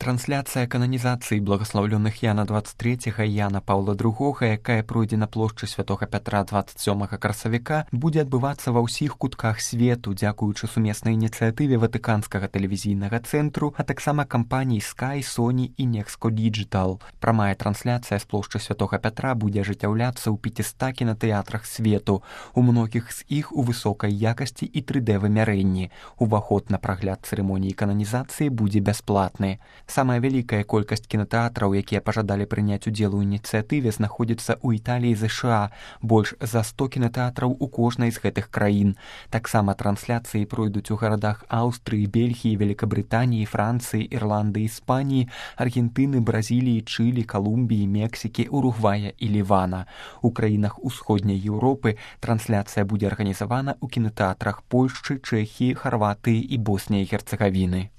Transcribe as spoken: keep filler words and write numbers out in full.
Трансляцыя кананізацыі благаслаўлёных Яна дваццаць трэцяга і Яна Паўла другога, якая пройдзе на плошчы Святога Пятра дваццаць сёмага красавіка, будзе адбывацца ва ўсіх кутках свету, дзякуючы сумеснай ініцыятыве Ватыканскага тэлевізійнага цэнтру, а таксама кампаній Sky, Sony і Nexco Digital. Прамая трансляцыя з плошчы Святога Пятра будзе ажыццяўляцца ў пяцістах кінатэатрах свету, у многіх з іх у высокай якасці і тры дэ вымярэнні. Уваход на прагляд цырымоніі кананізацыі будзе бясплатны. Самая вялікая колькасць кінатэатраў, якія пажадалі прыняць удзел у ініцыятыве, знаходзіцца ў Італіі і ЗША, больш за сто кінатэатраў у кожнай з гэтых краін. Таксама трансляцыі пройдуць у гарадах Аўстрыі, Бельгіі, Великабрытаніі, Францыі, Ірландыі, Іспаніі, Аргентыны, Бразіліі, Чылі, Калумбіі, Мексікі, Уругвая і Лівана. У краінах усходняй Еўропы трансляцыя будзе арганізавана ў кінатэатрах Польшчы, Чэхіі, Харватыі і Боснія і Герцагавіны.